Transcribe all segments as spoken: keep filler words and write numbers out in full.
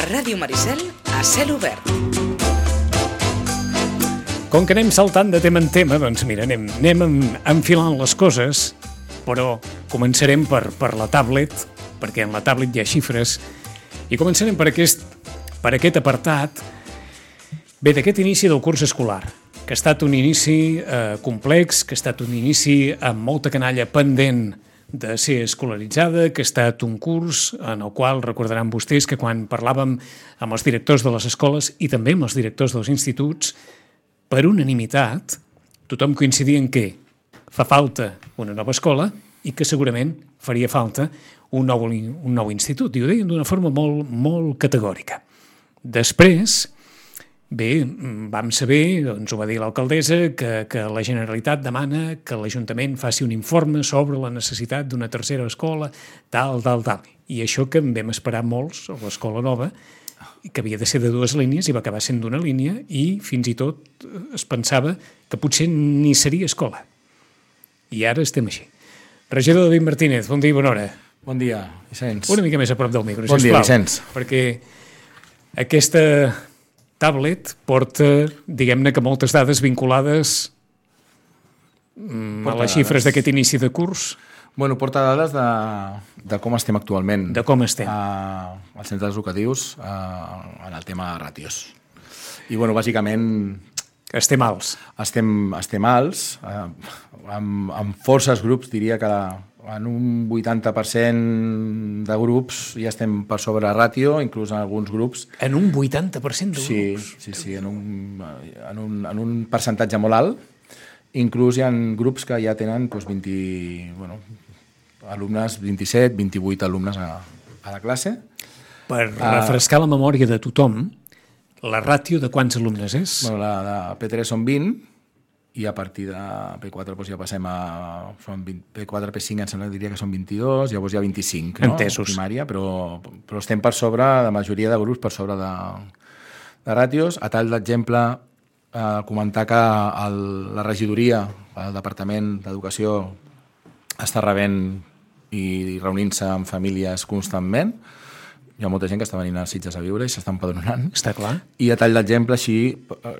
Ràdio Maricel, a cel obert. Com que anem saltant de tema en tema, doncs mira, anem, anem enfilant les coses, però començarem per, per la tablet, perquè en la tablet hi ha xifres, i començarem per aquest, per aquest apartat, bé, d'aquest inici del curs escolar, que ha estat un inici eh, complex, que ha estat un inici amb molta canalla pendent de ser escolaritzada, que ha estat un curs en el qual recordaran vostès que quan parlàvem amb els directors de les escoles i també amb els directors dels instituts, per unanimitat, tothom coincidia en que fa falta una nova escola i que segurament faria falta un nou, un nou institut. I ho deien d'una forma molt, molt categòrica. Després, bé, vam saber, doncs ho va dir l'alcaldessa, que, que la Generalitat demana que l'Ajuntament faci un informe sobre la necessitat d'una tercera escola, tal, tal, tal. I això que en vam esperar molts, a l'escola nova, que havia de ser de dues línies i va acabar sent d'una línia i fins i tot es pensava que potser ni seria escola. I ara estem així. Regidor David Martínez, bon dia i bona hora. Bon dia, Vicenç. Una mica més a prop del micro, bon sisplau. Bon dia, Vicenç. Perquè aquesta tablet porta, diguem-ne que moltes dades vinculades porta a les xifres d'aquest inici de curs. Bueno, porta dades de, de com estem actualment. De com estem. A, als centres educatius a, en el tema de ràtios. I, bueno, bàsicament... Estem alts. Estem, estem alts. Eh, amb, amb forces grups, diria que en un vuitanta per cent de grups ja estem per sobre ràtio, inclús en alguns grups. En un vuitanta per cent de grups? Sí, sí, sí, en un, en un, en un percentatge molt alt. Inclús hi ha grups que ja tenen doncs, vint, bueno, alumnes, vint-i-set, vint-i-vuit alumnes a, a la classe. Per refrescar la memòria de tothom, la ràtio de quants alumnes és? Bueno, la de P tres són vint, i a partir de P quatre doncs, ja passem a... Són vint, P quatre, P cinc em sembla que diria que són vint-i-dos, llavors hi ha vint-i-cinc, no? Entesos. Primària, però, però estem per sobre, la majoria de grups per sobre de, de ràtios. A tall d'exemple, eh, comentar que el, la regidoria, el Departament d'Educació, està rebent i reunint-se amb famílies constantment. Hi ha molta gent que està venint a Sitges a viure i s'està empadronant. Està clar. I a tall d'exemple, així,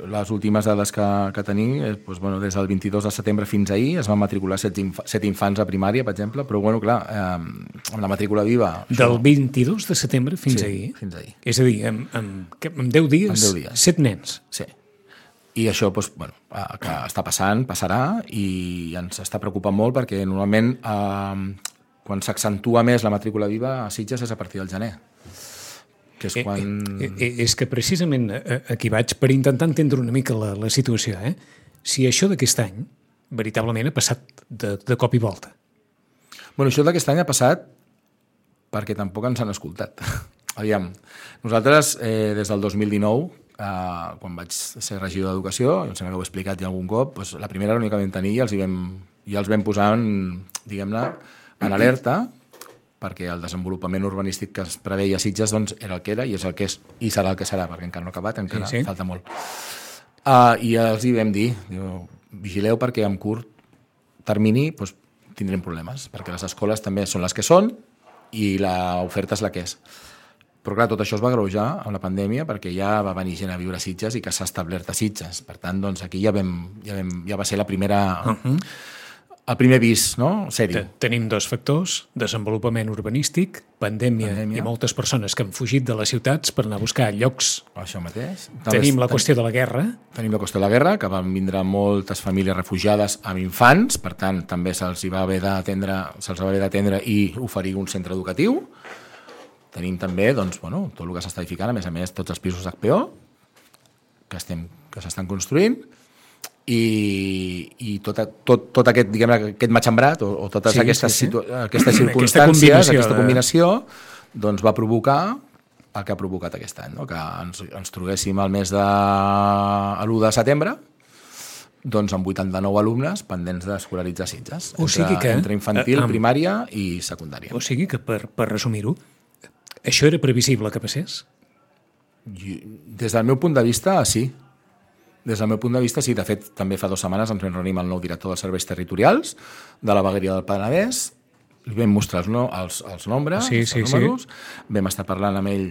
les últimes dades que, que tenim, doncs, bueno, des del vint-i-dos de setembre fins ahir es van matricular set, inf set infants a primària, per exemple, però, bueno, clar, eh, amb la matrícula viva... Del això... vint-i-dos de setembre fins sí, ahir? fins ahir. És a dir, en, en, en deu dies, en deu dies, set nens. Sí. I això, doncs, bueno, que està passant, passarà, i ens està preocupant molt perquè normalment eh, quan s'accentua més la matrícula viva a Sitges és a partir del gener. Que és, quan... eh, eh, és que precisament aquí vaig per intentar entendre una mica la, la situació. Eh? Si això d'aquest any veritablement ha passat de, de cop i volta. Bueno, això d'aquest any ha passat perquè tampoc ens han escoltat. Aviam, nosaltres eh, des del dos mil dinou, eh, quan vaig ser regidor d'Educació, em sembla que ho he explicat ja algun cop, doncs la primera reunió que vam tenir ja els, vam, ja els vam posar en, diguem-ne, en alerta, perquè el desenvolupament urbanístic que es preveia a Sitges doncs, era el que era i és el que és i serà el que serà, perquè encara no ha acabat, encara sí, sí. falta molt. Uh, I els hi vam dir, diu, vigileu perquè en curt termini doncs, tindrem problemes, perquè les escoles també són les que són i l'oferta és la que és. Però clar, tot això es va agreujar amb la pandèmia perquè ja va venir gent a viure a Sitges i que s'ha establert a Sitges. Per tant, doncs, aquí ja, vam, ja, vam, ja va ser la primera... Uh-huh. El primer vis, no? Sèrio. Tenim dos factors, desenvolupament urbanístic, pandèmia, pandèmia i moltes persones que han fugit de les ciutats per anar a buscar llocs. Això mateix. Tenim la qüestió de la guerra. Tenim la qüestió de la guerra, que van vindre moltes famílies refugiades amb infants, per tant, també se'ls va haver d'atendre, se'ls va haver d'atendre i oferir un centre educatiu. Tenim també, doncs, bueno, tot el que s'està edificant, a més a més, tots els pisos H P O que estem, que s'estan construint, i, i tot, tot, tot aquest, diguem, aquest matxembrat o, o totes sí, aquestes, sí, sí. aquestes circumstàncies, aquesta combinació, aquesta combinació de... doncs va provocar el que ha provocat aquest any, no? Que ens, ens trobéssim al mes de l'u de setembre doncs amb vuitanta-nou alumnes pendents d'escolaritzar Sitges, o sigui entre, que, entre infantil, uh, um, primària i secundària. O sigui que, per, per resumir-ho, això era previsible que passés? Des del meu punt de vista, sí. Des del meu punt de vista, sí. De fet, també fa dues setmanes ens vam reunir amb el nou director dels serveis territorials de la vegueria del Penedès, li vam mostrar els, no, els, els nombres, sí, els sí, números, sí. Vam estar parlant amb ell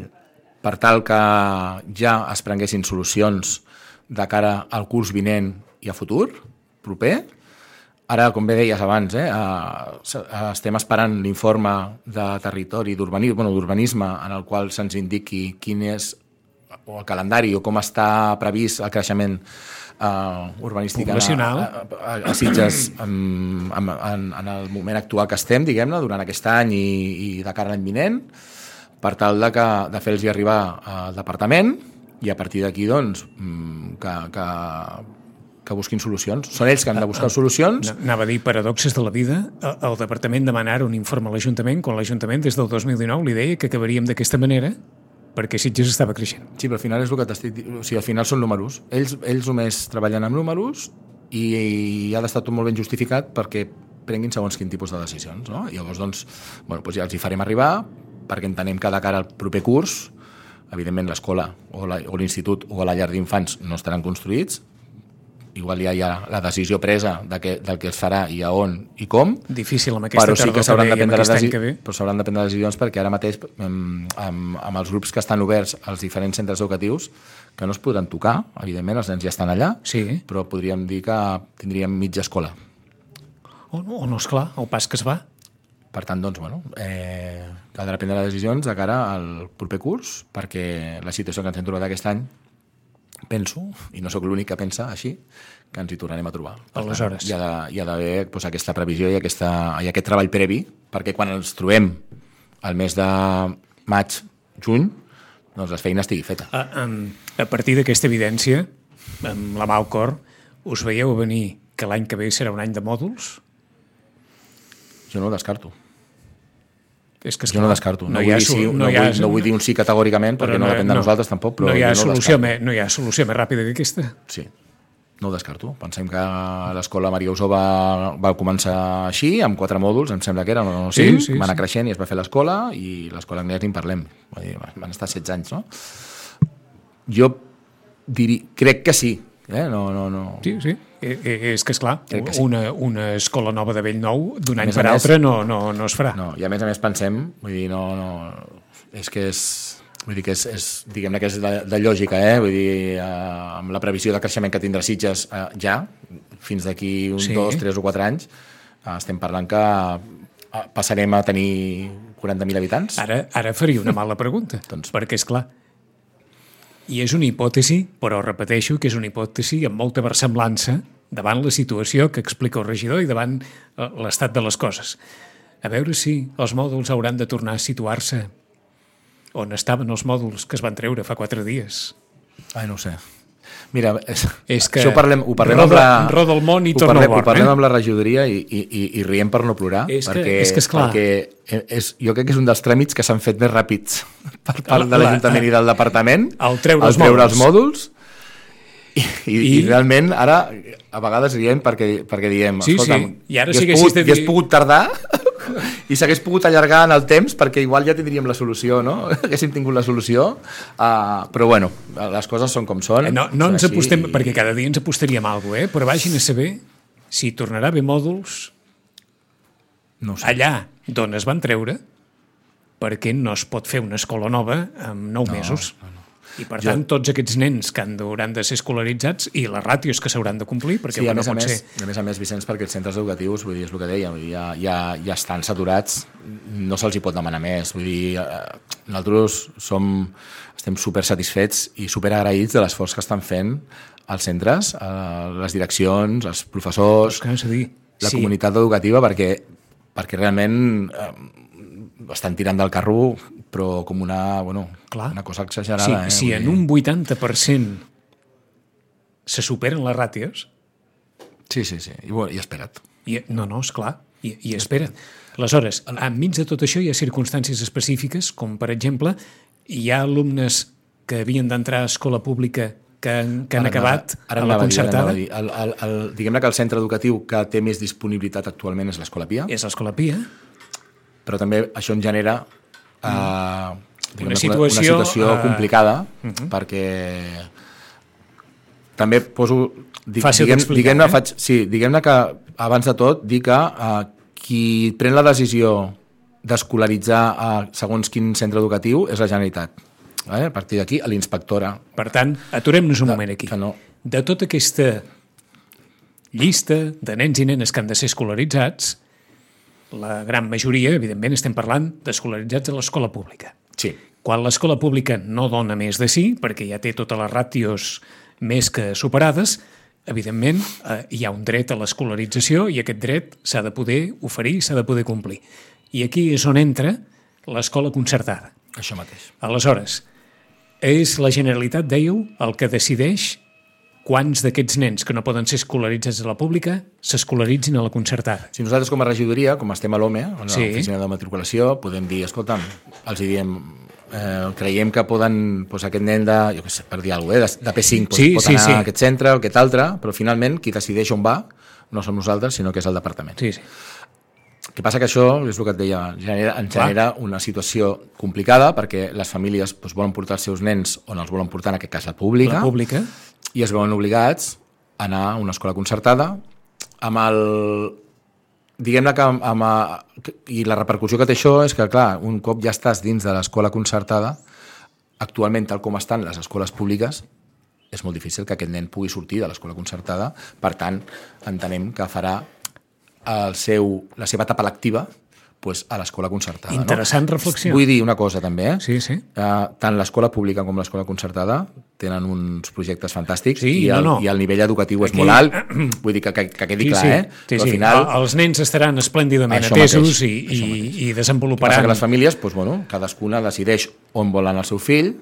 per tal que ja es prenguessin solucions de cara al curs vinent i a futur, proper. Ara, com bé deies abans, eh, estem esperant l'informe de territori d'urbanisme, bueno, d'urbanisme en el qual se'ns indiqui quin és o el calendari o com està previst el creixement Uh, urbanístic a, a, a, a Sitges en, en, en el moment actual que estem, diguem-ne, durant aquest any i, i de cara a l'any vinent, per tal de, que, de fer-los arribar al departament i a partir d'aquí doncs, que, que, que busquin solucions. Són ells que han de buscar solucions. Anava a dir paradoxes de la vida. El departament demanarà un informe a l'Ajuntament quan l'Ajuntament des del dos mil dinou li deia que acabaríem d'aquesta manera perquè Sitges estava creixent. Sí, però al final és el que t'estic dient. O sigui, al final són números. Ells, ells només treballen amb números i, i ha d'estar tot molt ben justificat perquè prenguin segons quin tipus de decisions, no? I llavors, doncs, bueno, doncs ja els hi farem arribar perquè entenem que de cara al proper curs, evidentment l'escola o l'institut o la llar d'infants no estaran construïts, igual ja hi ha la decisió presa de que, del que es farà i a on i com. Difícil amb aquesta però sí que s'hauran de prendre desi... però s'hauran de prendre decisions perquè ara mateix amb, amb, amb els grups que estan oberts als diferents centres educatius que no es podran tocar, evidentment els nens ja estan allà, sí. Però podríem dir que tindríem mitja escola. O no, o no és clar, el pas que es va. Per tant, doncs, bueno, eh, caldrà prendre decisions de cara al proper curs perquè la situació que ens hem trobat aquest any penso, i no sóc l'únic que pensa així, que ens hi tornarem a trobar. Per Aleshores. Tant, hi ha, de, d'haver doncs, aquesta previsió i, aquesta, i aquest treball previ, perquè quan ens trobem al mes de maig, juny, doncs la feina estigui feta. A, a, a partir d'aquesta evidència, amb la mà al cor, us veieu venir que l'any que ve serà un any de mòduls? Jo no ho descarto. És que, jo no descarto. No, no, vull ha, dir sí, no, no, ha, vull, no vull dir un sí categòricament perquè no, no depèn de no, nosaltres tampoc, però no hi ha, no solució me, no hi ha solució més ràpida que aquesta. Sí, no ho descarto. Pensem que l'escola Maria Usó va, va començar així, amb quatre mòduls, em sembla que eren o cinc, sí, sí, va anar sí. creixent i es va fer l'escola i l'escola Agnès ni en parlem. Van estar setze anys, no? Jo diri, crec que sí. Eh? No, no, no. Sí, sí. És que, esclar, sí. una, una escola nova de vell nou, d'un any per altre, no, no, no es farà. No, i a més a més pensem, vull dir, no, no, és que és, vull dir que és, és diguem-ne que és de, de lògica, eh? Vull dir, eh, amb la previsió de creixement que tindrà Sitges eh, ja, fins d'aquí uns sí. dos, tres o quatre anys, eh, estem parlant que eh, passarem a tenir quaranta mil habitants. Ara, ara faria una mala pregunta, doncs, perquè, és clar, i és una hipòtesi, però repeteixo que és una hipòtesi amb molta versemblança davant la situació que explica el regidor i davant l'estat de les coses. A veure si els mòduls hauran de tornar a situar-se on estaven els mòduls que es van treure fa quatre dies. Ai, no ho sé. Mira, és, és que això ho parlem, ho parlem roda, amb la... roda el món i ho torna parlem, al born. Ho parlem eh? amb la regidoria i, i, i, i riem per no plorar. És perquè, que, és que esclar. Perquè és, jo crec que és un dels tràmits que s'han fet més ràpids per part de l'Ajuntament i del Departament. El treure, els, treure mòduls. els mòduls. I, i, I, I realment ara a vegades riem perquè, perquè diem sí, escolta'm, sí. I ara ja sí has pogut, de dir... ja has pogut tardar i s'hagués pogut allargar en el temps perquè igual ja tindríem la solució, no? Haguéssim tingut la solució, uh, però bueno, les coses són com són. No, no ens així, apostem, i... perquè cada dia ens apostaríem a alguna cosa, eh? Però vagin a saber si tornarà a haver mòduls no sé. allà d'on es van treure, perquè no es pot fer una escola nova en nou no, mesos. No, no. I per jo... tant, tots aquests nens que han hauran de ser escolaritzats i les ràtios que s'hauran de complir, perquè sí, a no més, pot a més, ser... a més a més, Vicenç, perquè els centres educatius, vull dir, és el que deia, vull dir, ja, ja, ja estan saturats, no se'ls hi pot demanar més. Vull dir, eh, nosaltres som, estem super satisfets i super agraïts de l'esforç que estan fent els centres, eh, les direccions, els professors, pues, dir, la sí. comunitat educativa, perquè, perquè realment eh, estan tirant del carro però com una, bueno, Clar. una cosa exagerada. Sí, eh? si en un vuitanta per cent se superen les ràtios... Sí, sí, sí, i, bueno, i espera't. I, no, no, esclar, i, i espera't. Aleshores, enmig de tot això hi ha circumstàncies específiques, com per exemple, hi ha alumnes que havien d'entrar a escola pública que han, que han ara acabat ara a la concertada. Dir, el, el, el, diguem-ne que el centre educatiu que té més disponibilitat actualment és l'Escola Pia. És l'Escola Pia. Però també això en genera Uh, una, situació, una situació uh, complicada uh -huh. perquè també poso di, fàcil diguem, d'explicar diguem-ne, eh? faig, sí, diguem-ne que abans de tot dir que uh, qui pren la decisió d'escolaritzar a segons quin centre educatiu és la Generalitat. Eh? A partir d'aquí, a l'inspectora... Per tant, aturem-nos un moment aquí. Que no. De tota aquesta llista de nens i nenes que han de ser escolaritzats, la gran majoria, evidentment, estem parlant d'escolaritzats a l'escola pública. Sí. Quan l'escola pública no dona més de sí, perquè ja té totes les ràtios més que superades, evidentment, eh, hi ha un dret a l'escolarització i aquest dret s'ha de poder oferir, s'ha de poder complir. I aquí és on entra l'escola concertada. Això mateix. Aleshores, és la Generalitat, dèieu, el que decideix quants d'aquests nens que no poden ser escolaritzats a la pública s'escolaritzin a la concertada. Si nosaltres com a regidoria, com estem a l'O M E, a Sí. l'oficina de matriculació, podem dir, escolta'm, els hi diem, eh, creiem que poden, doncs aquest nen de, jo què sé, per dir alguna cosa, de, de P cinc, doncs, Sí, pot sí, anar sí. a aquest centre o aquest altre, però finalment qui decideix on va no som nosaltres, sinó que és el departament. Sí, sí. El que passa que això, és el que et deia, genera, ens genera una situació complicada perquè les famílies doncs, volen portar els seus nens on els volen portar, en aquest cas la pública, La pública. i es veuen obligats a anar a una escola concertada amb el... Diguem-ne que amb, amb a, i la repercussió que té això és que, clar, un cop ja estàs dins de l'escola concertada, actualment, tal com estan les escoles públiques, és molt difícil que aquest nen pugui sortir de l'escola concertada. Per tant, entenem que farà el seu, la seva etapa lectiva pues, a l'escola concertada. Interessant no? reflexió. Vull dir una cosa també, eh? Sí, sí. Uh, tant l'escola pública com l'escola concertada tenen uns projectes fantàstics Sí, i, el, no, no. i el nivell educatiu és Aquí- molt alt, vull dir que, que, que quedi Sí, clar, sí. eh? Sí, Però sí. al final... El- Els nens estaran esplèndidament Això atesos mateix, i, això i, mateix. i El que passa desenvoluparan... que les famílies, doncs, bueno, cadascuna decideix on volen el seu fill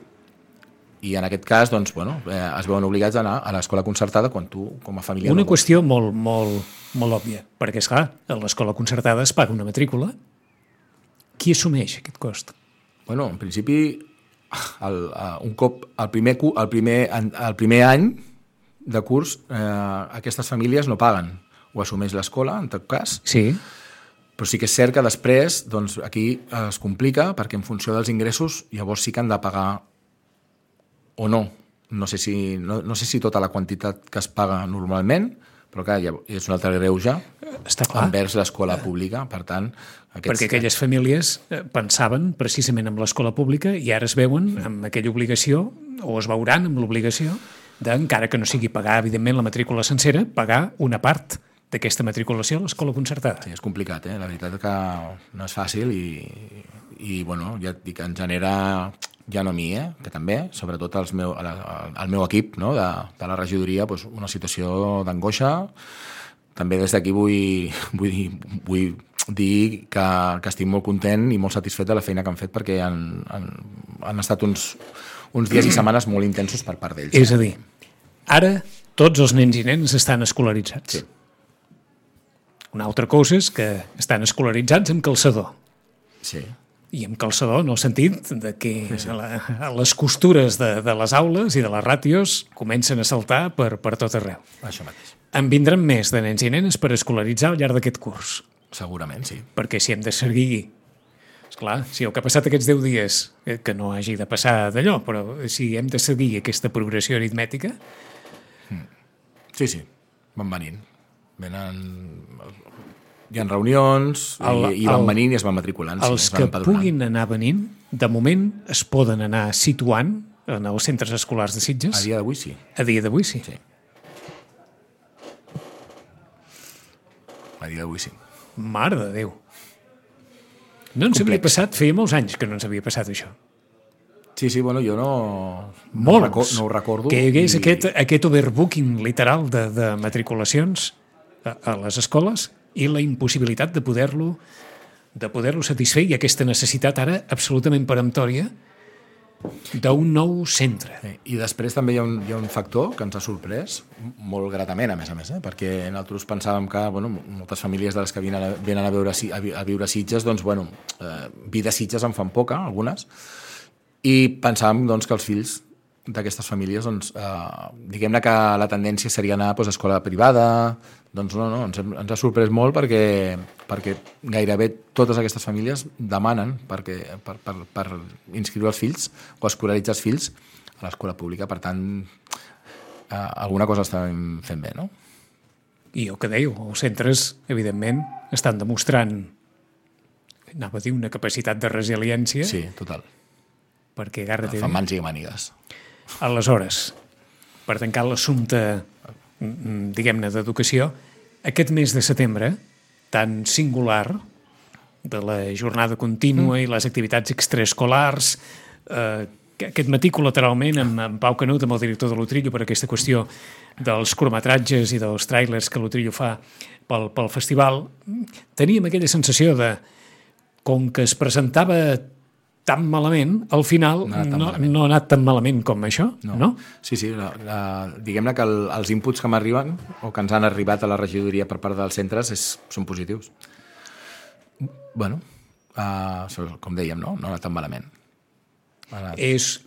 i en aquest cas doncs, bueno, eh, es veuen obligats a anar a l'escola concertada quan tu, com a família... Una no vols. qüestió molt, molt, molt òbvia, perquè, esclar, a l'escola concertada es paga una matrícula. Qui assumeix aquest cost? Bueno, en principi, el, uh, un cop, el primer, cu- el primer, el primer any de curs, eh, aquestes famílies no paguen. Ho assumeix l'escola, en tot cas, Sí. però sí que és cert que després doncs, aquí es complica perquè en funció dels ingressos llavors sí que han de pagar o no. No sé si, no, no sé si tota la quantitat que es paga normalment, però clar, ja és un altre greuge Està clar. envers l'escola pública. Per tant, aquests, Perquè aquelles famílies eh, pensaven precisament en l'escola pública i ara es veuen amb aquella obligació, o es veuran amb l'obligació, de, encara que no sigui pagar, evidentment, la matrícula sencera, pagar una part d'aquesta matriculació a l'escola concertada. Sí, és complicat, eh? La veritat que no és fàcil i, i bueno, ja et dic, en genera, ja no a mi, eh? Que també, sobretot als meu, a la, al meu equip, no? de, de la regidoria, doncs una situació d'angoixa. També des d'aquí vull, vull, dir, vull dir que, que estic molt content i molt satisfet de la feina que han fet perquè han, han, han estat uns, uns dies i setmanes molt intensos per part d'ells. És a dir, ara tots els nens i nenes estan escolaritzats. Sí. Una altra cosa és que estan escolaritzats amb calçador. Sí. I amb calçador en el sentit de que a la, a les costures de, de les aules i de les ràtios comencen a saltar per, per tot arreu. Això mateix. En vindran més de nens i nenes per escolaritzar al llarg d'aquest curs. Segurament, sí. Perquè si hem de seguir... Esclar, si el que ha passat aquests deu dies, eh, que no hagi de passar d'allò, però si hem de seguir aquesta progressió aritmètica... Sí, sí, van venint. Venen... Hi ha reunions El- i, i van el- venint i es van matriculant. sí, Els es van que empadronant. puguin anar venint, de moment es poden anar situant en els centres escolars de A Sitges. dia d'avui sí. A dia d'avui sí. Sí. A dia d'avui sí. Mare de Déu. No ens havia Complex. passat, feia molts anys que no ens havia passat això. Sí, sí, bueno, jo no, no, ho, Molts. reco no ho recordo. Que hi hagués i- aquest, aquest overbooking literal de, de matriculacions a, a les escoles i la impossibilitat de poder-lo de poder-lo satisfer i aquesta necessitat ara absolutament peremptòria d'un nou centre. Sí, I després també hi ha, un, hi ha un factor que ens ha sorprès, molt gratament, a més a més, eh? perquè nosaltres pensàvem que bueno, moltes famílies de les que venen a, venen a, veure, a, vi- a viure a Sitges, doncs, bueno, eh, vida a Sitges en fan poca, algunes, i pensàvem doncs, que els fills d'aquestes famílies, doncs, eh, diguem-ne que la tendència seria anar doncs, a escola privada, doncs no, no, ens, hem- ens ha sorprès molt perquè, perquè gairebé totes aquestes famílies demanen perquè, per, per, per inscriure els fills o escolaritzar els fills a l'escola pública. Per tant, eh, alguna cosa estem fent bé, no? I el que dèieu, els centres, evidentment, estan demostrant, anava a dir, una capacitat de resiliència Sí, total. perquè Garra T V... Fan mans i mànigues. Aleshores, per tancar l'assumpte, diguem-ne, d'educació, aquest mes de setembre, tan singular, de la jornada contínua mm. i les activitats extraescolars, eh, aquest matí col·lateralment amb, amb Pau Canut, amb el director de l'Utrillo, per aquesta qüestió dels curtmetratges i dels tràilers que l'Utrillo fa pel, pel festival, teníem aquella sensació de, com que es presentava tan malament, al final no, no, no ha anat tan malament com això, no? no? Sí, sí, la, la, diguem-ne que el, els inputs que m'arriben o que ens han arribat a la regidoria per part dels centres és, són positius. Bueno, uh, com dèiem, no? No ha anat tan malament. És,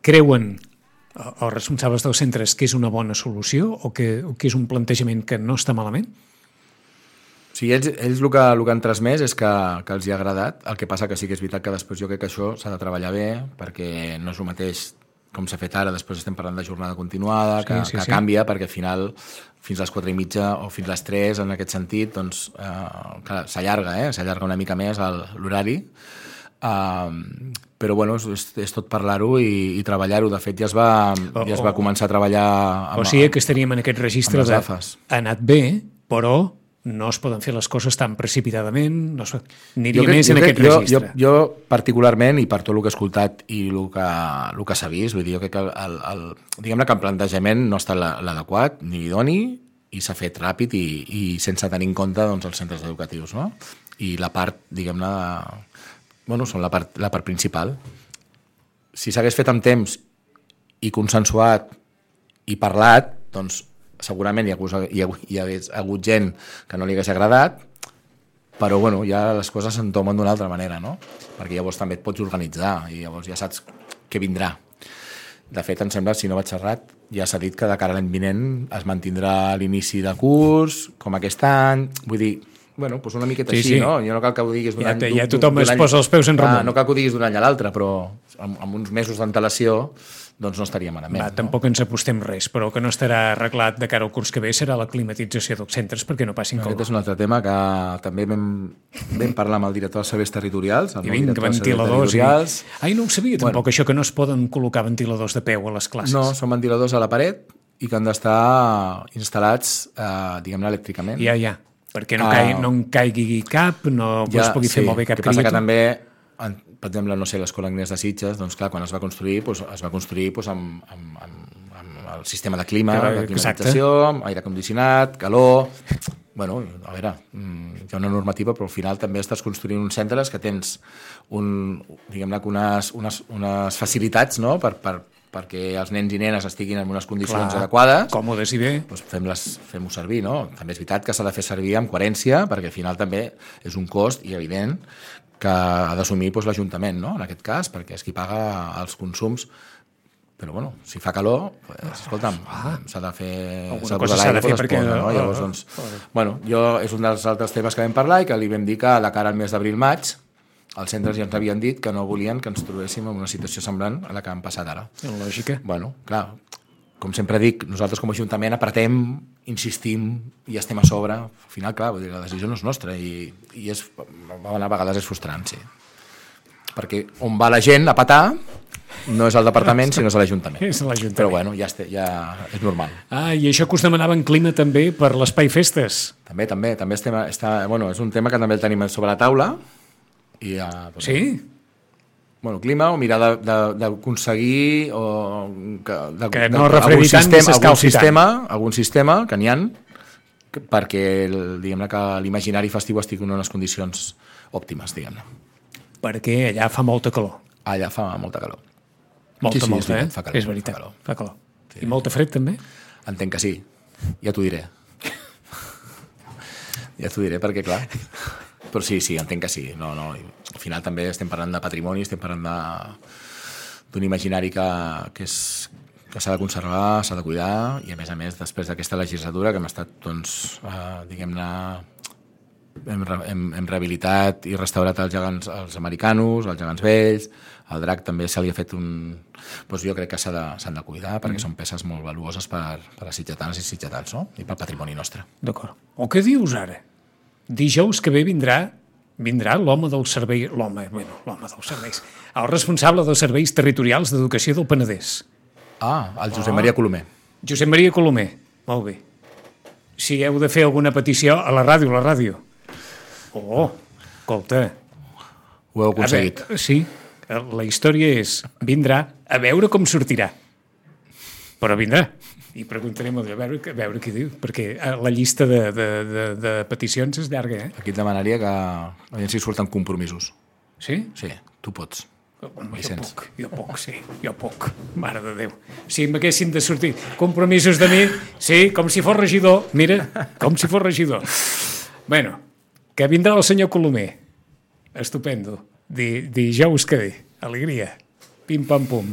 creuen els responsables dels centres que és una bona solució o que, o que és un plantejament que no està malament? Sí, ells, ells el, que, el que han transmès és que, que els hi ha agradat, el que passa que sí que és veritat que després jo crec que això s'ha de treballar bé perquè no és el mateix com s'ha fet ara, després estem parlant de jornada continuada, que, sí, sí, que sí. canvia perquè al final fins a les quatre i mitja o fins a les tres en aquest sentit doncs eh, s'allarga, eh? s'allarga una mica més l'horari. Uh, però bueno, és, és tot parlar-ho i, i treballar-ho. De fet ja es va, o, ja es va començar a treballar amb, o sigui que estaríem en aquest registre de ha anat bé, però no es poden fer les coses tan precipitadament, no es, aniria crec, més en aquest jo, registre. Jo, jo particularment, i per tot el que he escoltat i el que, el que s'ha vist, vull dir, jo crec que el, el, el, diguem-ne que el plantejament no està l'adequat ni idoni i s'ha fet ràpid i, i sense tenir en compte doncs, els centres educatius, no? I la part, diguem-ne, de bueno, són la part, la part principal. Si s'hagués fet amb temps i consensuat i parlat, doncs segurament hi, hagués, hi, hagués, hi hagués hagut gent que no li hagués agradat, però bueno, ja les coses s'entomen d'una altra manera, no? Perquè llavors també et pots organitzar i llavors ja saps què vindrà. De fet, em sembla, si no vaig errat, ja s'ha dit que de cara a l'any vinent es mantindrà l'inici de curs, com aquest any, vull dir... Bueno, doncs una miqueta sí, així, sí. no? Jo no cal que ho diguis d'un ja, any... Ja tothom es posa els peus en remunt. Ah, no cal que ho diguis d'un any a l'altre, però amb, amb uns mesos d'antelació doncs no estaríem malament. Va, no? Tampoc ens apostem res, però que no estarà arreglat de cara al curs que ve serà la climatització dels centres perquè no passin com. Aquest és un altre tema que també vam, vam parlar amb el director dels serveis territorials. I vinc, ventiladors. I... Ai, no ho sabia tampoc, bueno, això que no es poden col·locar ventiladors de peu a les classes. No, són ventiladors a la paret i que han d'estar instal·lats, eh, diguem-ne, elèctricament. Ja, ja. Perquè no, caigui, no en caigui cap, no ja, es pugui sí, fer molt bé cap criatura. Que passa que també, per exemple, no sé, l'Escola Agnès de Sitges, doncs clar, quan es va construir, doncs, es va construir doncs, amb, amb, amb, amb el sistema de clima, de climatització, amb aire condicionat, calor... Bueno, a veure, hi ha una normativa, però al final també estàs construint uns centres que tens un, diguem-ne, unes, unes, unes facilitats, no?, per... per perquè els nens i nenes estiguin en unes condicions Clar, adequades, còmodes i bé, doncs fem-ho fem servir, no? També és veritat que s'ha de fer servir amb coherència, perquè al final també és un cost i evident que ha d'assumir doncs, l'Ajuntament, no? En aquest cas, perquè és qui paga els consums. Però bueno, si fa calor, pues, escolta'm, ah, s'ha de fer... Alguna cosa s'ha de fer perquè... Posa, no? Llavors, doncs, bueno, jo és un dels altres temes que vam parlar i que li vam dir que de cara al mes d'abril-maig els centres ja ens havien dit que no volien que ens trobéssim en una situació semblant a la que han passat ara. En lògica. Bueno, clar, com sempre dic, nosaltres com a Ajuntament apretem, insistim i estem a sobre. Al final, clar, vull dir, la decisió no és nostra i, i és, a vegades és frustrant, sí. Perquè on va la gent a petar no és el departament, sinó és l'Ajuntament. És l'Ajuntament. Però bueno, ja, este, ja és normal. Ah, i això que us demanaven clima també per l'Espai Festes. També, també. també estem, està, bueno, és un tema que també el tenim sobre la taula. I, uh, doncs, sí? Bueno, clima o mirar d'aconseguir o que, de, que no refredi tant ni s'escalfi algun sistema, algun sistema que n'hi ha perquè diguem-ne que l'imaginari festiu estigui en unes condicions òptimes, diguem-ne. Perquè allà fa molta calor. Allà fa molta calor. Molta, sí, sí, molta, és, eh? Fa calor, és veritat, fa calor. Fa calor. Sí. I molta fred també? Entenc que sí, ja t'ho diré. Ja t'ho diré perquè, clar... Però sí, sí, entenc que sí. No, no. Al final també estem parlant de patrimoni, estem parlant d'un imaginari que, que, és, que s'ha de conservar, s'ha de cuidar, i a més a més, després d'aquesta legislatura que hem estat, doncs, eh, diguem-ne, hem, hem, hem rehabilitat i restaurat els gegants els americanos, els gegants vells, al drac també se li ha fet un... Doncs jo crec que s'han de, s'han de cuidar perquè mm. són peces molt valuoses per, per a sitgetanes i sitgetans, no? I pel patrimoni nostre. D'acord. O què dius ara? Dijous que ve vindrà vindrà l'home del servei... L'home, bueno, l'home dels serveis. El responsable dels serveis territorials d'educació del Penedès. Ah, el Josep Maria Colomer. Josep Maria Colomer, molt bé. Si heu de fer alguna petició, a la ràdio, a la ràdio. Oh, escolta. Ho heu aconseguit. Veure, sí, la història és, vindrà a veure com sortirà. Però vindrà. I preguntarem a veure, a veure què diu, perquè la llista de, de, de, de peticions és llarga, eh? Aquí et demanaria que a veure si surten compromisos. Sí? Sí, tu pots. Home, jo puc, jo puc, sí, jo puc, mare de Déu. Si m'haguessin de sortir compromisos de mi, sí, com si fos regidor, mira, com si fos regidor. Bueno, que vindrà el senyor Colomer, estupendo, Di, dijous que ve, alegria, pim-pam-pum.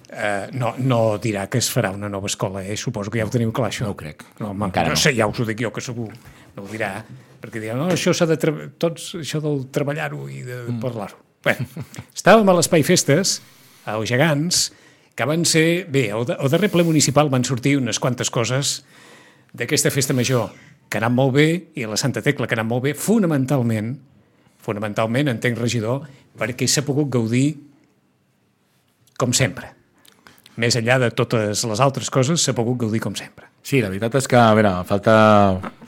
Uh, no, no dirà que es farà una nova escola, eh? Suposo que ja ho teniu clar, això. No ho crec, no, home, encara no. no. Sé, ja us ho dic jo, que segur, no ho dirà, perquè dirà, no, això s'ha de tre- tots, això del treballar-ho i de mm. parlar-ho. Bé, estàvem a l'Espai Festes, als Gegants, que van ser... Bé, al, al darrer ple municipal van sortir unes quantes coses d'aquesta festa major que han anat molt bé i a la Santa Tecla que han anat molt bé, fonamentalment, fonamentalment, entenc, regidor, perquè s'ha pogut gaudir com sempre. Més enllà de totes les altres coses, s'ha pogut gaudir com sempre. Sí, la veritat és que, a veure, falta,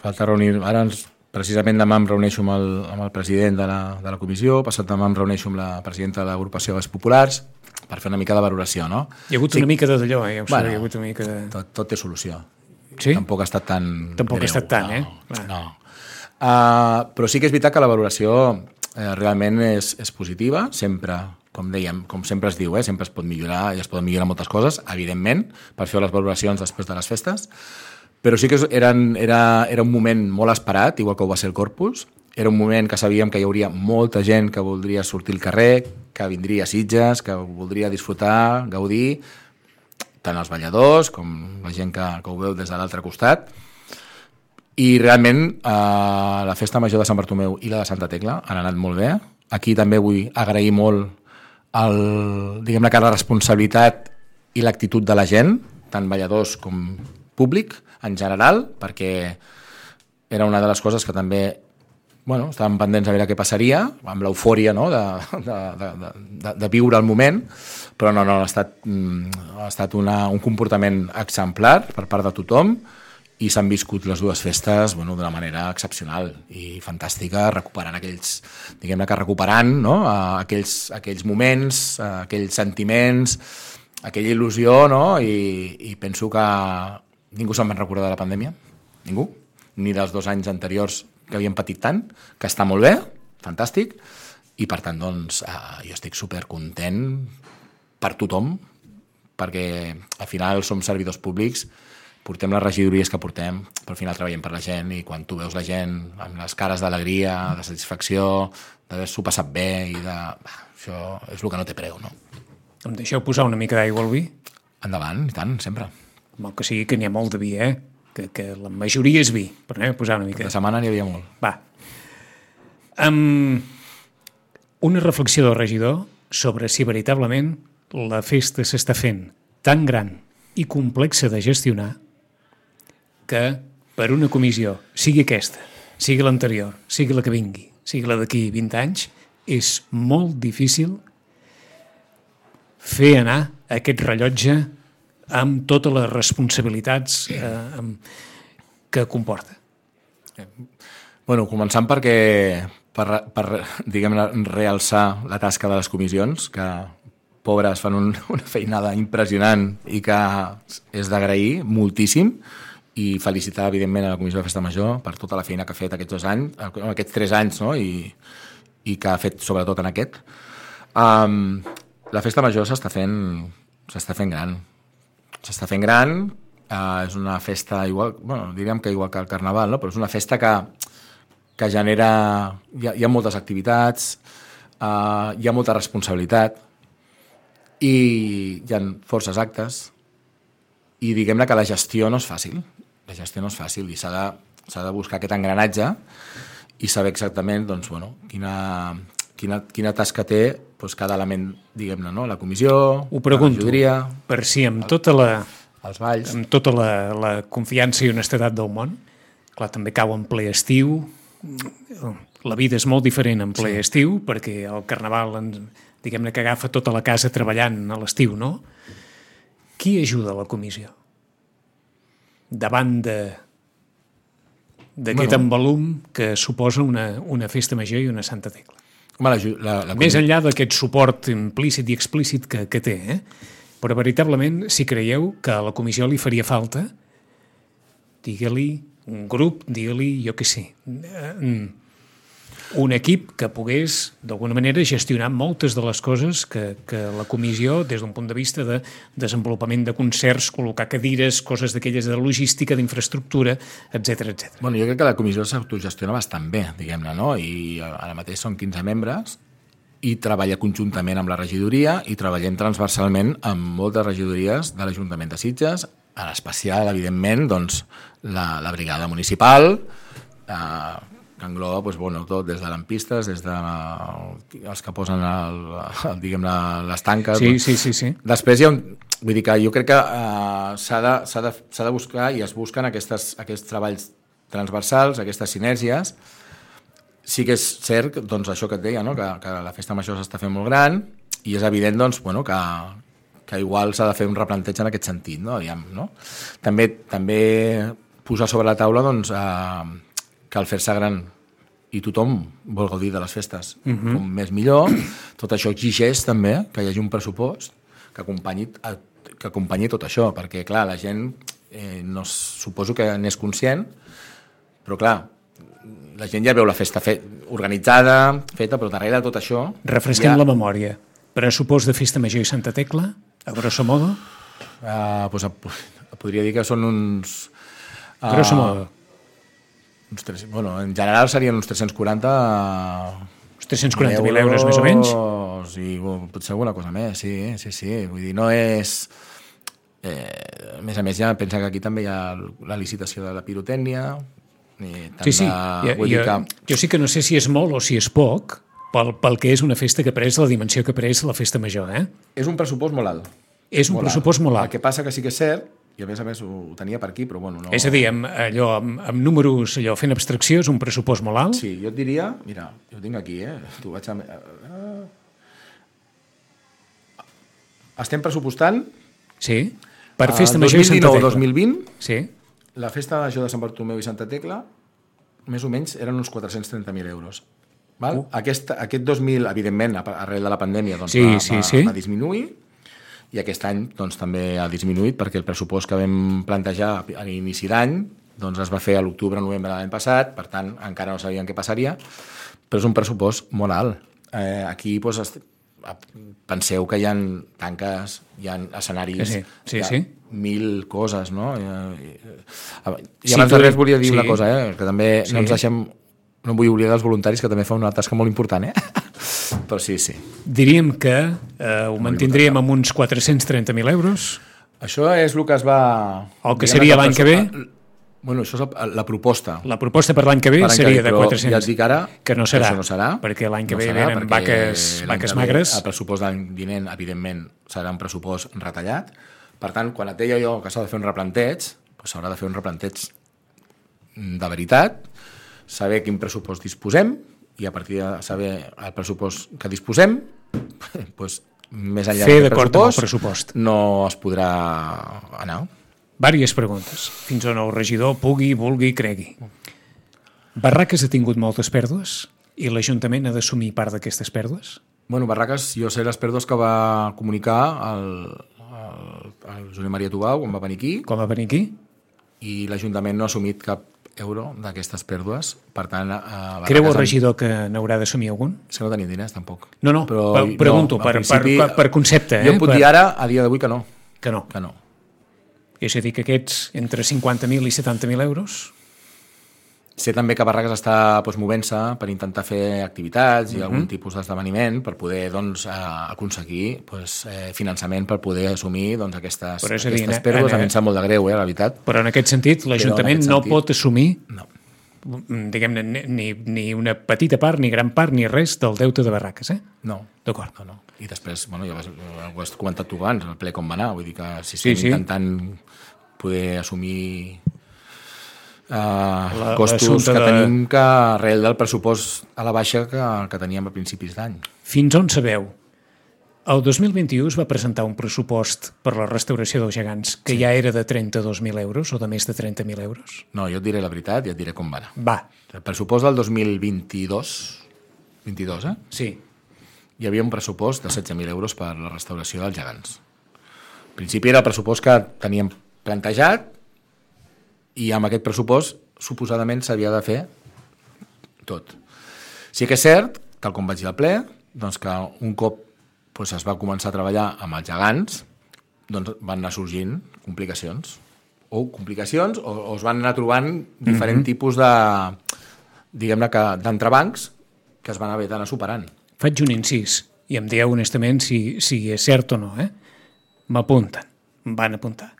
falta reunir... Ara ens Precisament demà em reuneixo amb el, amb el president de la, de la comissió, passat demà em reuneixo amb la presidenta de l'agrupació dels populars per fer una mica de valoració, no? Hi ha hagut sí. una mica de d'allò, eh? Ja ho bueno, sé, hi ha hagut una mica de... tot, tot té solució. Sí? Tampoc ha estat tan Tampoc greu. ha estat tant, no, eh? Clar. No. Uh, però sí que és veritat que la valoració eh, realment és, és positiva, sempre, com dèiem, com sempre es diu, eh? Sempre es pot millorar i es poden millorar moltes coses, evidentment, per fer les valoracions després de les festes. Però sí que eren, era, era un moment molt esperat, igual que ho va ser el Corpus. Era un moment que sabíem que hi hauria molta gent que voldria sortir al carrer, que vindria a Sitges, que voldria disfrutar, gaudir, tant els balladors com la gent que, que ho veu des de l'altre costat. I realment eh, la festa major de Sant Bartomeu i la de Santa Tecla han anat molt bé. Aquí també vull agrair molt el, diguem-ne que la responsabilitat i l'actitud de la gent, tant balladors com públic, en general, perquè era una de les coses que també bueno, estàvem pendents a veure què passaria, amb l'eufòria, no?, de, de, de, de, de viure el moment, però no, no, ha estat, ha estat una, un comportament exemplar per part de tothom i s'han viscut les dues festes bueno, d'una manera excepcional i fantàstica, recuperant aquells, diguem-ne que recuperant no? aquells, aquells moments, aquells sentiments, aquella il·lusió, no? I, i penso que ningú se'n va recordar de la pandèmia, ningú, ni dels dos anys anteriors que havíem patit tant, que està molt bé, fantàstic, i per tant, doncs, eh, jo estic supercontent per tothom, perquè al final som servidors públics, portem les regidories que portem, però al final treballem per la gent, i quan tu veus la gent amb les cares d'alegria, de satisfacció, d'haver-s'ho passat bé, i de... Bah, això és el que no té preu, no? Em deixeu posar una mica d'aigua al vi? Endavant, i tant, sempre. Mal que sigui que n'hi ha molt de vi, eh? Que, que la majoria és vi, però anem a posar una mica. La setmana n'hi havia molt. Va. Um, una reflexió del regidor sobre si veritablement la festa s'està fent tan gran i complexa de gestionar que per una comissió, sigui aquesta, sigui l'anterior, sigui la que vingui, sigui la d'aquí vint anys, és molt difícil fer anar aquest rellotge amb totes les responsabilitats eh, amb, que comporta. Bueno, començant perquè per, per diguem-ne, realçar la tasca de les comissions, que pobres fan un, una feinada impressionant i que és d'agrair moltíssim, i felicitar, evidentment, a la Comissió de Festa Major per tota la feina que ha fet aquests dos anys, aquests tres anys, no? I, i que ha fet sobretot en aquest. Um, la Festa Major s'està fent, s'està fent gran. S'està fent gran, eh, és una festa igual, bueno, diríem que igual que el Carnaval, no? Però és una festa que, que genera... Hi ha, hi ha moltes activitats, eh, hi ha molta responsabilitat i hi ha forces actes i diguem-ne que la gestió no és fàcil. La gestió no és fàcil i s'ha de, s'ha de buscar aquest engranatge i saber exactament doncs, bueno, quina, quina, quina tasca té doncs, cada element, diguem-ne, no? La comissió, ho pregunto, la majoria, per si amb tota la, els balls, amb tota la, la confiança i honestedat del món, clar, també cau en ple estiu, la vida és molt diferent en ple sí. estiu, perquè el carnaval, diguem-ne que agafa tota la casa treballant a l'estiu, no? Qui ajuda a la comissió? Davant de d'aquest bueno. embalum que suposa una, una festa major i una Santa Tecla. Home, la, la, la Més enllà d'aquest suport implícit i explícit que, que té, eh? Però veritablement, si creieu que a la comissió li faria falta, digue-li un grup, digue-li, jo què sé, un equip que pogués, d'alguna manera, gestionar moltes de les coses que, que la comissió, des d'un punt de vista de desenvolupament de concerts, col·locar cadires, coses d'aquelles de logística, d'infraestructura, etcètera, etcètera. Bueno, jo crec que la comissió s'autogestiona bastant bé, diguem-ne, no? I ara mateix són quinze membres i treballa conjuntament amb la regidoria i treballem transversalment amb moltes regidories de l'Ajuntament de Sitges, en especial, evidentment, doncs, la, la brigada municipal, eh, que engloba doncs, bueno, tot, des de lampistes, des de els que posen el, el, diguem-ne, les tanques. Sí, sí, sí, sí. Després hi ha un... Vull dir que jo crec que uh, s'ha de, s'ha de, s'ha de buscar i es busquen aquestes, aquests treballs transversals, aquestes sinergies. Sí que és cert, doncs, això que et deia, no? que, que la festa major s'està fent molt gran i és evident doncs, bueno, que, que igual s'ha de fer un replanteig en aquest sentit. No? Aviam, no? També, també posar sobre la taula doncs, uh, que al fer-se gran i tothom vol gaudir de les festes uh-huh. com més millor, tot això exigeix també que hi hagi un pressupost que acompanyi, que acompanyi tot això, perquè clar, la gent eh, no, suposo que n'és conscient, però clar, la gent ja veu la festa fet, organitzada, feta, però darrere de tot això... Refresquem ja... la memòria. Pressupost de Festa Major i Santa Tecla, a grosso modo? Uh, pues, podria dir que són uns... Uh, grosso modo. Uns tres, bueno, en general serien uns tres-cents quaranta... Uns tres-cents quaranta mil euros, més o menys? I potser alguna cosa més, sí, sí, sí. Vull dir, no és... Eh, a més a més, ja pensa que aquí també hi ha la licitació de la pirotècnia... Sí, sí. De... Jo, jo, que... jo sí que no sé si és molt o si és poc, pel, pel que és una festa que pres la dimensió que pres la festa major, eh? És un pressupost molt alt. És un molt pressupost alt. molt alt. El que passa que sí que és cert, i a més a més ho tenia per aquí, però bueno... No... És a dir, amb, allò, amb, amb números, allò, fent abstracció, és un pressupost molt alt? Sí, jo et diria... Mira, jo ho tinc aquí, eh? Tu vaig a... Estem pressupostant... Sí, per Festa Major i Santa Tecla. dos mil dinou dos mil vint, sí. La Festa Major de Sant Bartomeu i Santa Tecla, més o menys, eren uns quatre-cents trenta mil euros. Val? Uh. Aquest, aquest dos mil, evidentment, arrel de la pandèmia, doncs, sí, va, sí, va, sí. va disminuir, i aquest any doncs, també ha disminuït perquè el pressupost que vam plantejar a l'inici d'any doncs, es va fer a l'octubre-novembre de l'any passat, per tant encara no sabíem què passaria, però és un pressupost molt alt. Eh, aquí doncs, penseu que hi ha tanques, hi ha escenaris, sí, sí, hi ha sí. mil coses, no? I, i, i sí, abans de res volia dir sí. una cosa, eh? Que també sí. no ens deixem... No vull oblidar els voluntaris, que també fan una tasca molt important, eh? Però sí, sí. Diríem que eh, ho mantindríem amb uns quatre-cents trenta mil euros. Això és el que es va... El que seria l'any que ve? Bueno, això és la proposta. La proposta per l'any que ve seria de quatre-cents. Ja et dic ara que no serà, que no serà perquè l'any que no ve serà, venen vaques, vaques magres. El pressupost d'any vinent, evidentment, serà un pressupost retallat. Per tant, quan et deia jo que s'ha de fer un replanteig, doncs s'haurà de fer un replanteig de veritat, saber quin pressupost disposem i a partir de saber el pressupost que disposem, doncs, més enllà del pressupost, pressupost no es podrà anar. Vàries preguntes, fins on el regidor pugui, vulgui, cregui. Barraques ha tingut moltes pèrdues i l'Ajuntament ha d'assumir part d'aquestes pèrdues? Bueno, Barraques, jo sé les pèrdues que va comunicar el, el, el Josep Maria Tubau quan va venir aquí. Com va venir aquí? I l'Ajuntament no ha assumit cap euro d'aquestes pèrdues, per tant... Eh, Creu el regidor que n'haurà d'assumir algun? És que no tenim diners, tampoc. No, no, però, per, pregunto, no, per, principi, per, per concepte. Jo eh? et puc per... dir ara, a dia d'avui, que no. Que no. Que no. És a dir, que aquests entre cinquanta mil i setanta mil euros... Sé també que Barraques està doncs, movent-se per intentar fer activitats i uh-huh. algun tipus d'esdeveniment per poder doncs, aconseguir doncs, finançament per poder assumir doncs, aquestes, aquestes dir, pèrdues. A mi em sap molt de greu, eh, la veritat. Però en aquest sentit, l'Ajuntament no sentit, pot assumir no. diguem-ne, ni, ni una petita part, ni gran part, ni res del deute de Barraques, eh? No. D'acord. No, no. I després, bueno, ja ho has comentat tu abans, el ple com va anar, vull dir que si sí, estem sí. intentant poder assumir uh, costos que de... tenim que arrel del pressupost a la baixa que, que teníem a principis d'any. Fins on sabeu? El dos mil vint-i-u es va presentar un pressupost per la restauració dels gegants que sí. ja era de trenta-dos mil euros o de més de trenta mil euros. No, jo et diré la veritat i et diré com va anar. Va. El pressupost del dos mil vint-i-dos, vint-i-dos, eh? Sí. Hi havia un pressupost de setze mil euros per la restauració dels gegants. Al principi era el pressupost que teníem plantejat i amb aquest pressupost suposadament s'havia de fer tot. Sí que és cert, tal com vaig dir al ple, doncs que un cop doncs es va començar a treballar amb els gegants, doncs van anar sorgint complicacions. O complicacions, o, o es van anar trobant diferents mm-hmm. tipus de, diguem-ne, que d'entrebancs que es van haver d'anar superant. Faig un incís, i em dieu honestament si, si és cert o no, eh? M'apunten, em van apuntar.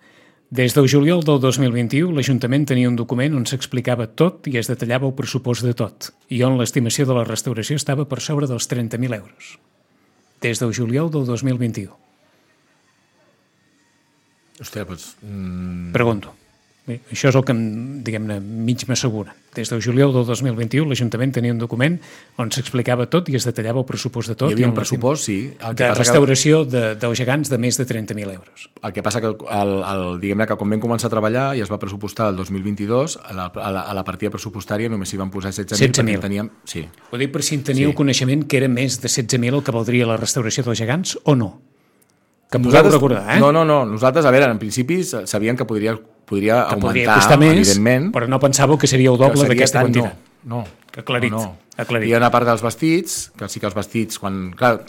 Des del juliol del dos mil vint-i-u, l'Ajuntament tenia un document on s'explicava tot i es detallava el pressupost de tot, i on l'estimació de la restauració estava per sobre dels trenta mil euros. Des del juliol del dos mil vint-i-u. Hòstia, doncs... Mm... Pregunto. Bé, això és el que, diguem-ne, mig m'assegura. Des del juliol del dos mil vint-i-u l'Ajuntament tenia un document on s'explicava tot i es detallava el pressupost de tot. Hi havia un pressupost, sí. El que de restauració que... de, dels gegants de més de trenta mil euros. El que passa que, el, el, diguem-ne, que quan vam començar a treballar i es va pressupostar el dos mil vint-i-dos, a la, a la, a la partida pressupostària només s'hi van posar setze mil. Teníem... Sí. Ho dic per si en teníeu sí. coneixement que era més de setze mil el que valdria la restauració dels gegants o no? Que podeu recordar, eh? No, no, no. Nosaltres, a veure, en principi sabíem que podria, podria que augmentar, podria costar més, evidentment. Però no pensàveu que seria el doble d'aquesta quantitat. No, no. Que aclarit, no, no. aclarit. Hi ha una part dels vestits, que sí que els vestits, quan, clar,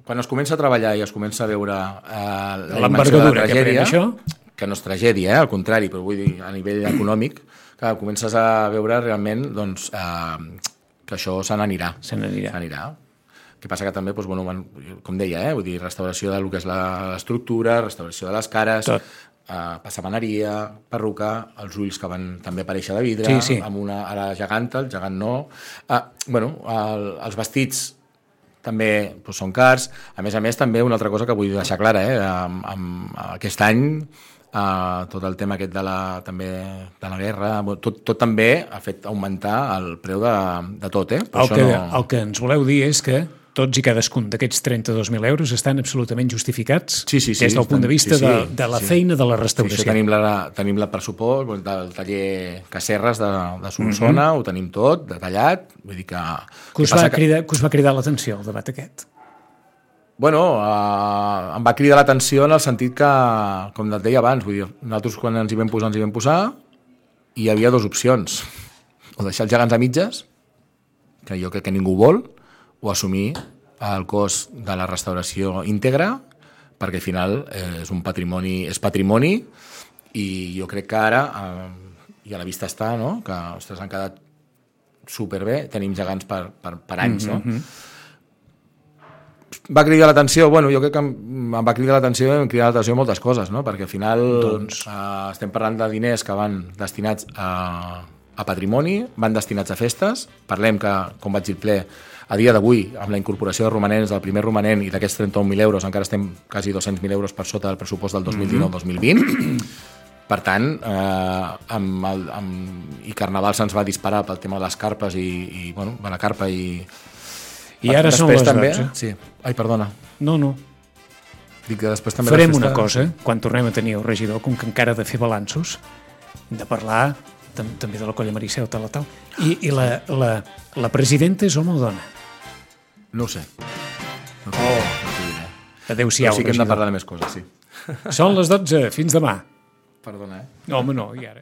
quan es comença a treballar i es comença a veure eh, l'envergadura que pren això, que no és tragèdia, eh, al contrari, però vull dir, a nivell econòmic, que comences a veure realment doncs, eh, que això se n'anirà. Se n'anirà. Se n'anirà. El que passa que també, doncs, bueno, com deia, eh, vull dir, restauració del que és l'estructura, restauració de les cares, eh, passamaneria, perruca, els ulls que van també aparèixer de vidre, sí, sí. amb una, a la geganta, el gegant no. Eh, bueno, el, els vestits també doncs, són cars. A més a més, també una altra cosa que vull deixar clara, eh, amb, amb aquest any, eh, tot el tema aquest de la, també, de la guerra, tot, tot també ha fet augmentar el preu de, de tot. Eh? El que, no... el que ens voleu dir és que tots i cadascun d'aquests trenta-dos mil euros estan absolutament justificats sí, sí, sí, des del punt de vista sí, sí, de, de la sí. feina de la restauració. Sí, tenim, la, tenim la pressupost del taller Cacerres de, de Solsona, mm-hmm. ho tenim tot detallat. Vull dir que... Que us, va cridar, que us va cridar l'atenció el debat aquest? Bueno, eh, em va cridar l'atenció en el sentit que, com et deia abans, vull dir, nosaltres quan ens hi vam posar, ens hi vam posar, i hi havia dues opcions. O deixar els gegants a mitges, que jo crec que ningú vol, o assumir el cost de la restauració íntegra, perquè al final eh, és un patrimoni, és patrimoni, i jo crec que ara, eh, i a la vista està, no?, que ostres, han quedat superbé, tenim gegants per, per, per anys, mm-hmm. no? Va cridar l'atenció, bueno, jo crec que em va cridar l'atenció, em cridar l'atenció moltes coses, no?, perquè al final doncs... eh, estem parlant de diners que van destinats a, a patrimoni, van destinats a festes, parlem que, com vaig dir al ple, a dia d'avui, amb la incorporació de romanents, del primer romanent i d'aquests trenta-un mil euros, encara estem quasi dos-cents mil euros per sota del pressupost del dos mil dinou dos mil vint. Per tant, eh, amb el, amb, i Carnaval se'ns va disparar pel tema de les carpes i, i bueno, la carpa i... I ara són les també, dotze. Sí. Ai, perdona. No, no. Dic que després també farem festa... una cosa, quan tornem a tenir el regidor, com que encara ha de fer balanços, hem de parlar també de la colla Maricel, tal, tal. I, i la, la, la presidenta és home o dona? No ho sé. No sé. Oh. No adéu-siau, però sí que hem de parlar de més coses, sí. Són les dotze, fins demà. Perdona, eh? No, home, no, i ara...